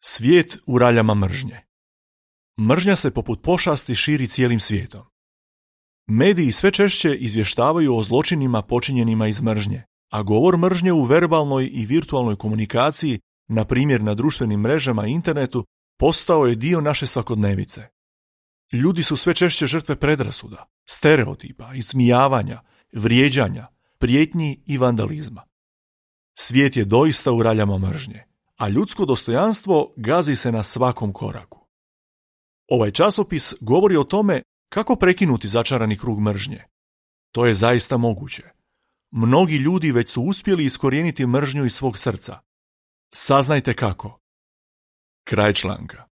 Svijet u raljama mržnje. Mržnja se poput pošasti širi cijelim svijetom. Mediji sve češće izvještavaju o zločinima počinjenima iz mržnje, a govor mržnje u verbalnoj i virtualnoj komunikaciji, na primjer na društvenim mrežama i internetu, postao je dio naše svakodnevice. Ljudi su sve češće žrtve predrasuda, stereotipa, ismijavanja, vrijeđanja, prijetnji i vandalizma. Svijet je doista u raljama mržnje, a ljudsko dostojanstvo gazi se na svakom koraku. Ovaj časopis govori o tome kako prekinuti začarani krug mržnje. To je zaista moguće. Mnogi ljudi već su uspjeli iskorijeniti mržnju iz svog srca. Saznajte kako. Kraj članka.